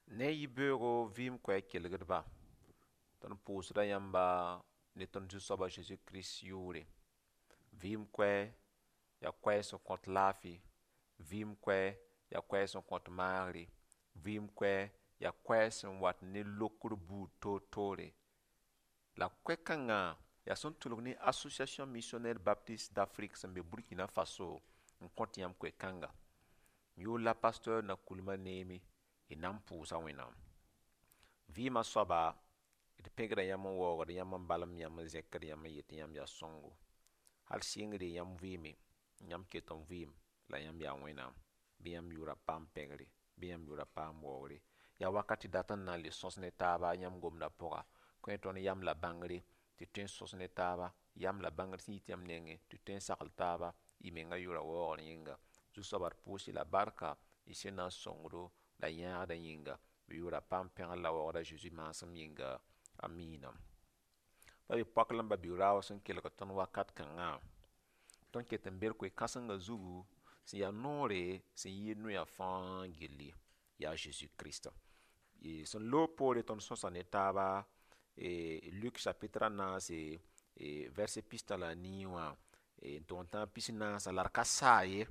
Ne yibeoogo vɩɩm koɛɛg kelgdba, tõnd pʋʋsda yãmba ne tõnd Zu-soab a Zeezi Kirist yʋʋre. Vɩɩm koɛɛ yaa koɛɛg sẽn kõt laafɩ, vɩɩm koɛɛ yaa koɛɛg sẽn kõt maagre, vɩɩm koɛɛ yaa koɛɛg sẽn wat ne lokr buud toor-toore. La koɛ-kãngã yaa sẽn tʋlg ne Association Missionnaire Baptiste d'Afrique sẽn be Burkina Faso n kõt yãmb koe-kãnga. M yʋʋr la pasteur Nakoulma Neemi, y na n pʋʋsa Wẽnnaam. Vɩɩmã soaba, d pẽgda yãmb n waoogd yãmb n balem yãmb n zẽkd yãmb n yet tɩ yãmb yaa sõngo. Hal sɩngre yãmb vɩɩme, yãmb ket n vɩɩm la yãmb yaa Wẽnnaam. Bɩ yãmb yʋʋra paam pẽgre, bɩ yãmb yʋʋra paam waoogre. Yaa wakat tɩ dat n na n le sõs ne taaba yãmb gomdã pʋga, kõ tõnd yam la bãngre tɩ tõe n sõs ne taaba, yam la bãngr sẽn yit yãmb nengẽ tɩ tõe n sagl taaba, y mengã yʋʋra waoogr yĩnga. Zu-soaba d pʋʋs-y la barka y sẽn na n sõngdo la yãagdã yĩnga. Bɩ yʋʋra paam pẽgr la waoogd a Zeezi maasem yĩnga. Amiina. Pa be poak la m ba-bi-raoog sẽn kelg tõnd wakat kãngã, tõnd ket n be d koe-kãsengã zugu sẽn yaa noore sẽn yɩɩd noyã fãa gilli, yaa Zeezi Kirist. Sẽn loog poore tõnd sõsa ne taaba Luk chapitre a naase, verset pistã la a nii wã n tog n tãag pis-naasã la d ka saa ye.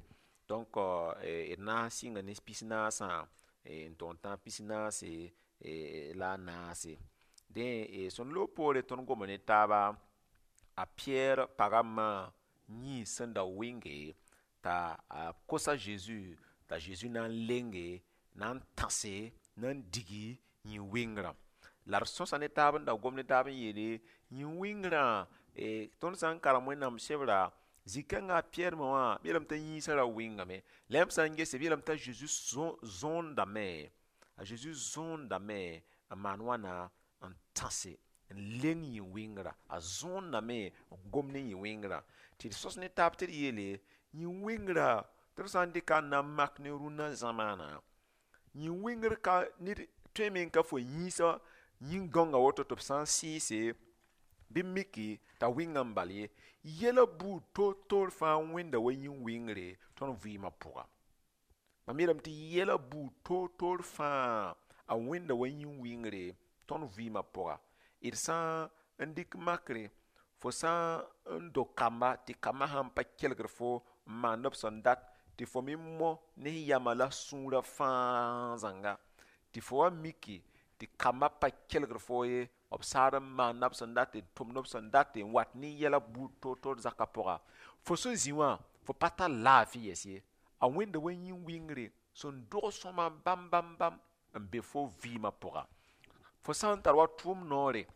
Donc d na n sɩnga ne pis-naasã n tog n tãag pis-naase la a naase. Dẽ, sẽn loog poore tõnd goma ne taaba a Piyɛr pag a ma yĩns sẽn da wɩnge t'a a kos a Zeezi t'a Zeezi na n lenge, na n tãse, na n digi yĩn-wɩngrã. La d sõsa ne taab n da gom ne taab n yeele yĩn-wɩngrã, tõnd sã n karem Wẽnnaam sebra, zĩ-kãngã a Piyɛr ma wã b yeelame t'a yĩnsã ra wɩngame. La yãmb sã n gese b yeelame t'a Zeezi zõondame, a Zeezi zõondame n maan wãna n tãse n leng yĩn-wɩngrã, a zõondame n gom ne yĩn-wɩngrã. Tɩ d sõs ne taab tɩ d yeele yĩn-wɩngrã tɩ d sã n dɩka n na n mak ne rũnna zãmaana, yĩn-wɩngr ka ned tõeme n ka fo yĩnsã yĩn-gãongã woto tɩ b sã n sɩɩse bɩ miki t'a wɩnga n bal ye. Yɛla buud toor-toor fãa wẽnda wa yĩn-wɩngre tõnd vɩɩmã pʋga. Mam yeelame tɩ yɛla buud toor-toor fãa a wẽnda wa yĩn-wɩngre tõnd vɩɩmã pʋga. D sã n dɩk makre, fo sã n do kamba tɩ kambã sãn pa kelgd fo n maand b sẽn dat, tɩ fo me mo ne f yamã la sũurã fãa zãnga, tɩ fo wa miki tɩ kambã pa kelgd fo ye, b saad n maanda b sẽn dat n tʋmd b sẽn dat n wat ne yɛla buud toor-toor zakã pʋga, fo sẽn zĩ wã fo pa tar laafɩ yɛs ye. A wẽnda wa yĩn-wɩngre sẽn dog sõma bãmb bãmb bãmb n be fo vɩɩmã pʋga. Fo sã n tar wa tʋʋm noore,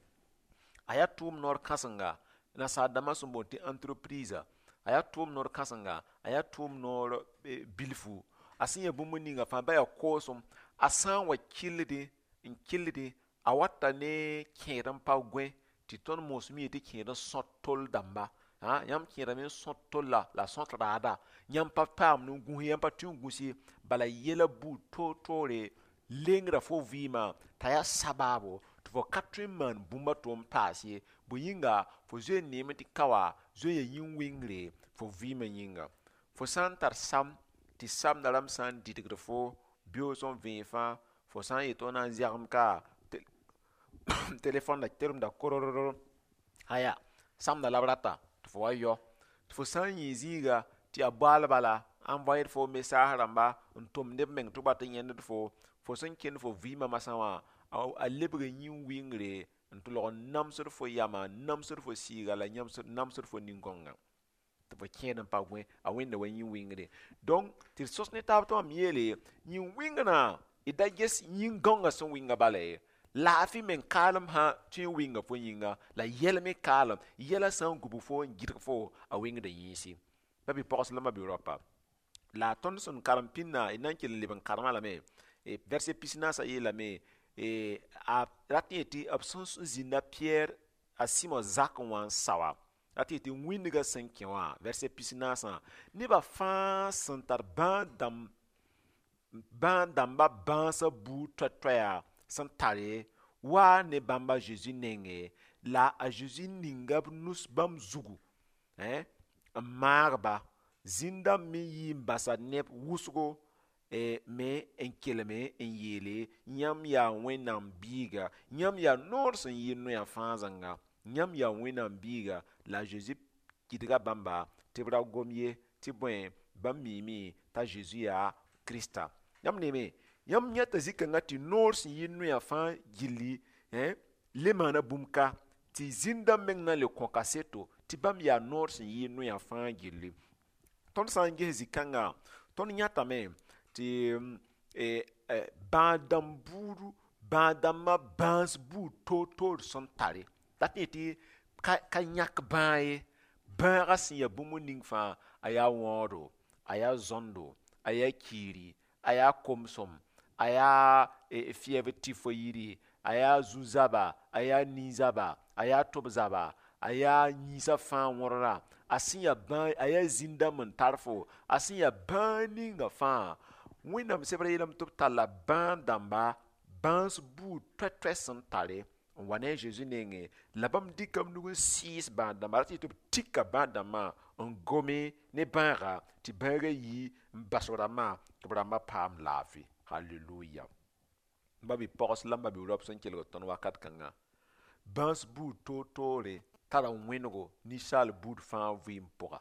a yaa tʋʋm noor kãsenga nasaar dãmbã sẽn boond tɩ entreprise, a yaa tʋʋm noor kãsenga, a yaa tʋʋm noor bilfu, a sẽn ya bũmb ninga fãa ba yaa koosem, a sã n wa kɩlldẽ n kɩlldẽ a wata ne kẽed n pa gõe tɩ tõnd moosem yee tɩ kẽed n sõt tol dãmba. Yãmb kẽedame n sõt tolla la sõt raada, yãmb pa paam n gũs ye, yãmb pa tʋ n gũs ye, bala yɛla buud toor-toore lengra fo vɩɩmã t'a yaa sabaabo tɩ fo ka tõe n maan bũmb a to n paas ye. Bõe yĩnga fo zoe n neeme tɩ ka wa zoe n yaa yĩn-wɩngre fo vɩɩmã yĩnga. Fo sã n tar sam tɩ samdã rãmb sã n dɩdgd fo beoog sẽn vẽeg fãa, fo sã n yet tɩ f na n zɛgem ka telefõn da teremda korororo, aya samdã la b rata tɩ fo wa yao. Tɩ fo sã n yẽ zĩiga tɩ yaa boaal bala envoyer fo message rãmba n tʋmd b meng tɩ b wat n yẽnd fo, fo sẽn kẽnd fo vɩɩmã masã wã a lebga yĩn-wɩngre n tɩ log n namsd fo yamã, n namsd fo sɩɩga la namsd fo nin-gãongã tɩ fo kẽed n pa gõe, a wẽnda wa yĩn-wɩngre. Donc tɩ d sõs ne taab tɩ mam yeele yĩn-wɩngrã d da ges yĩn-gãongã sẽn wɩnga bala ye. Laafɩ meng kaalem sã tõe n wɩnga fo yĩnga, la yɛl me kaalem, yɛla sã n gubg fo n gɩdg fo a wɩngda yĩnsi. Ba-bi-pogs la ma-bi-raopa, la tõnd sẽn karem pĩnda d na n kell n leb n karemã lame, verset pis-naasã yeelame a rat n yetɩ b sẽn zĩnda Piyɛr a Sɩmo zakẽ wã n saoa, rat n yetɩ wĩndgã sẽn kẽ wã, verset pis-naasã, nebã fãa sẽn tar bãad-dãmbã bãasã buud toɛ-toɛya sẽn tare waa ne bãmb a Zeezi nenge, la a Zeezi ninga b nus bãmb zugu n maag-ba. Zĩn-dãmb me yii n basa neb wʋsgo. Me n kelme n yeele yãmb yaa Wẽnnaam biiga, yãmb yaa noor sẽn yɩ noya fãa zãnga, yãmb yaa Wẽnnaam biiga. La a Zezi gɩdga bãmba tɩ b ra gom ye, tɩ bõe, bãmb miime t'a Zezi yaa Krista. Yãmb neeme, yãmb yãta zĩ-kãngã tɩ noor sẽn yɩ noya fãa gilli le maana bũmb ka, tɩ zĩn-dãmb meng na n le kõ kaseto tɩ bãmb yaa noor sẽn yɩ noya fãa gilli. Tõnd sã n ges zĩ-kãnga, tõnd yãtame tɩ bãad-dãmb buudu, bãad-dãmbã bãas buud toor-toor sẽn tare, dat yẽ tɩ ka yãk bãag ye. Bãagã sẽn ya bũmb ning fãa, a yaa wãoodo, a yaa zõndo, a yaa kiiri, a yaa komsem, a yaa fɩɛb tɩ fo yiri, a yaa zu-zaba, a yaa nin-zaba, a yaa tʋb-zaba, a yaa yĩnsã fãa wõdra, a sẽn ya bãag, a yaa zĩn-dãmb n tar fo, a sẽn ya bãag ninga fãa. Wẽnnaam sebrã yeelame tɩ b talla bãad-dãmba bãas buud toɛ-toɛ sẽn tare n wa ne a Zezi nengẽ, la bãmb dɩka b nug n sɩɩs bãad-dãmba, rat tɩ b tika bãad-dãmbã n gome ne bãaga tɩ bãagã yi n bas b rãmbã tɩ b rãmbã paam laafɩ. Halleluya. M ba-bi-pogs la m ba-bi-raop sẽn kelgd tõnd wakat kãnga, bãas buud toor-toore tara wẽnego ninsaal buud fãa vɩɩm pʋga.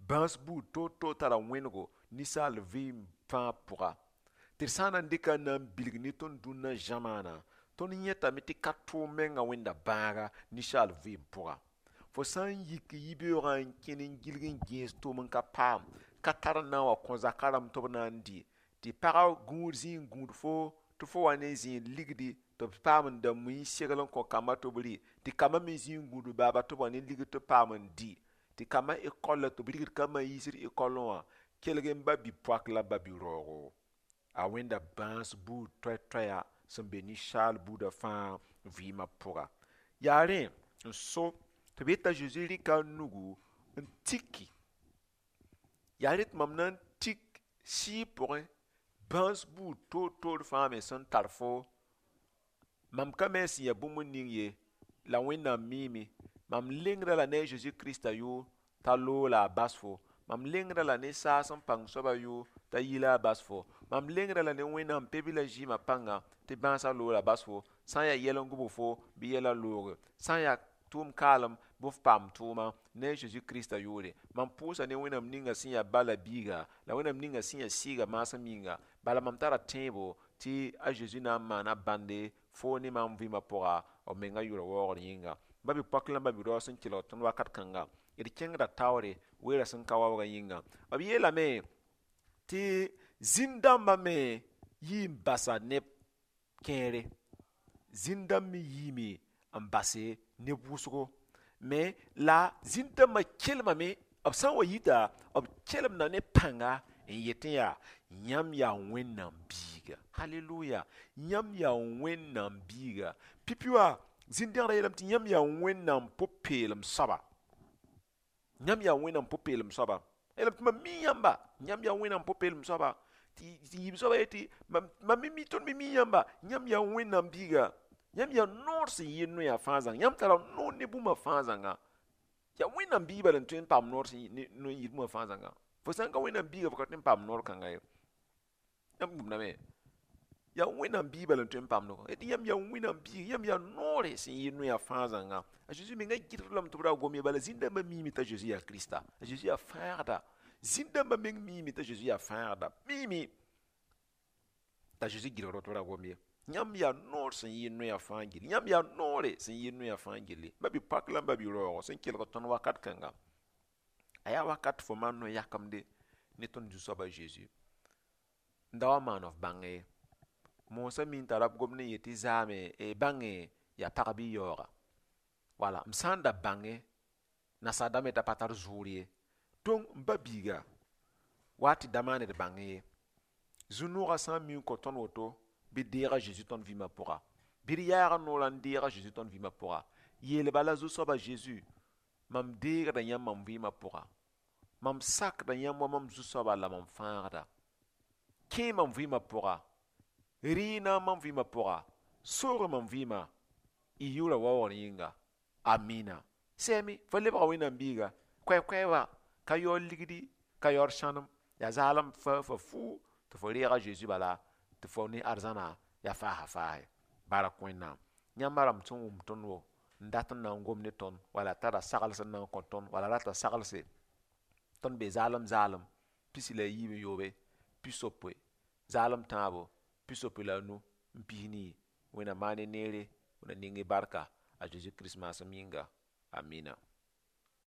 Bãas buud toor-toor tara wẽnego ninsaal vɩɩm fãa pʋga. Tɩ d sã n na n dɩka n na n bilg ne tõnd dũnna zãmaana, tõnd yẽtame tɩ ka tʋʋm menga wẽnda bãaga ninsaal vɩɩm pʋga. Fo sã n yik yibeoogã n kẽn n gilg n gẽes tʋʋm n ka paam, ka tar n na n wa kõ zakã rãmb tɩ b na n dɩ, tɩ pagã gũud zĩ n gũud fo tɩ fo wa ne zẽed ligdi tɩ b paam n da mui n segl n kõ kambã tɩ b rɩ, tɩ kambã me zĩ n gũud baaba tɩ b wa ne ligd tɩ b paam n dɩ, tɩ kambã ekɔl la tɩ b rigd kambã n yiisd ekɔlẽ wã, kelg n ba-bi-poak la ba-bi-raoogo. A wẽnda bãas buud toɛ-toɛya sẽn be ninsaal buudã fãa vɩɩmã pʋga. Yaa rẽ n so tɩ b yeta Zezi rɩka a nugu n tiki. Yaa rẽ tɩ mam na n tik sɩɩg pʋgẽ bãas buud toor-toor fãa me sẽn tar fo. Mam ka me sẽn ya bũmb ning ye, la Wẽnnaam miime. Mam lengda la ne a Zezi Krista yʋʋr t'a loog la a bas fo. Mam lengda la ne saas n pãng soabã yʋʋr t'a yi la a bas fo. Mam lengda la ne Wẽnnaam pe-bilã zɩɩmã pãnga tɩ bãasã loog la bas fo. Sã n yaa yɛl n gʋbg fo, bɩ yɛlã looge. Sã n yaa tʋʋm kaalem, bɩ f paam tʋʋma ne a Zezi Krista yʋʋre. Mam pʋʋsa ne Wẽnnaam ninga sẽn yaa ba la biiga, la Wẽnnaam ninga sẽn yaa sɩɩga maasem yĩnga. Bala mam tara tẽebo tɩ a Zezi na n maana bãnde fo ne mam vɩɩmã pʋga, b menga yʋʋra waoogr yĩnga. Ba-bi-poak la ba-bi-raoog sẽn kelg tõnd wakat kãnga, d kẽngda taoore weera sẽn ka waoogã yĩnga. B yeelame tɩ zĩn-dãmbã me yii n basa neb kẽere. Zĩn-dãmb me yiime n base neb wʋsgo. Me la zĩn-dãmbã kelmame, b sã n wa yita, b kelemda ne pãnga n yetẽ yaa yãmb yaa Wẽnnaam biiga. Halleluya. Yãmb yaa Wẽnnaam biiga. Pipi wã zĩn-dẽgdã yeelame tɩ yãmb yaa Wẽnnaam pʋ-peelem soaba. Yãmb yaa Wẽnnaam pʋ-peelem soaba. Yeelame tɩ mam mi yãmba, yãmb yaa Wẽnnaam pʋ-peelem soaba. Tɩ yiib soaba yetɩ mam me mi, tõnd me mi yãmba, yãmb yaa Wẽnnaam biiga. Yãmb yaa noor sẽn yɩ noya fãa zãnga. Yãmb tara noor ne bũmba fãa zãnga. Yaa Wẽnnaam biig bala n tõe n paam noor sẽn n yɩ bũmba fãa zãnga. Fo sã n ka Wẽnnaam biiga, fo ka tõe n paam noor kãnga ye. Yãmb gũudame. Yaa Wẽnnaam biig bala n tõe n paam noor. Tɩ yãmb yaa Wẽnnaam biig, yãmb yaa noore sẽn yɩ noya fãa zãnga. A Zezi menga gɩdg lame tɩ b ra gom ye, bala zĩn-dãmbã miime t'a Zezi yaa Krista. A Zezi yaa fãagda. Zĩn-dãmbã meng miime t'a Zezi yaa fãagda. Miime t'a Zezi gɩdgd tɩ b ra gom ye. Yãmb yaa noor sẽn yɩ noya fãa gilli. Yãmb yaa noore sẽn yɩ noya fãa gilli. Ba-bi-poak la ba-bi-raoogo sẽn kelg tõnd wakat kãnga, a yaa wakat fo maan no-yakemde ne tõnd Zu-soab a Zezi. N da wa maan f bãng ye. Moosã mi n tara b gomd n yet tɩ zaame bãnge yaa pag bɩ yaooga. Wala m sã n da bãnge nasaar dãmb t'a pa tar zʋʋr ye. Donc m ba biiga wa tɩ da maan d bãng ye. Zu-noogã sã n mi n kõ tõnd woto, bɩ deeg a Zezi tõnd vɩɩmã pʋga. Bɩ d yaag noorã n deeg a Zezi tõnd vɩɩmã pʋga. Yeel bala Zu-soab a Zezi, mam deegda yãmb mam vɩɩmã pʋga. Mam sakda yãmb wa mam Zu-soaba la mam fãagda. Kẽ mam vɩɩmã pʋga. Rɩɩna mam vɩɩmã pʋga. Soog mam vɩɩmã. Y yʋʋra waoogr yĩnga. Amina. Sɛame, fo lebga Wẽnnaam biiga. Koɛ-koɛ wa, ka yaood ligdi, ka yaood sãnem. Yaa zaalem fa fo fuu. Tɩ fo reeg a Zeezi bala tɩ fo ne arzãna yaa faasa faase. Bark Wẽnnaam. Yãmba rãmb sẽn wʋm tõnd wo n dat n na n gom ne tõnd, wala tara sagls n na n kõ tõnd, wala rata saglse, tõnd be zaalem zaalem 63, 80, zaalem tãabo, 85 n 4. Wẽnnaam maan y neere, Wẽnnaam ning y barka a Zeezi Kirist maasem yĩnga. Amina.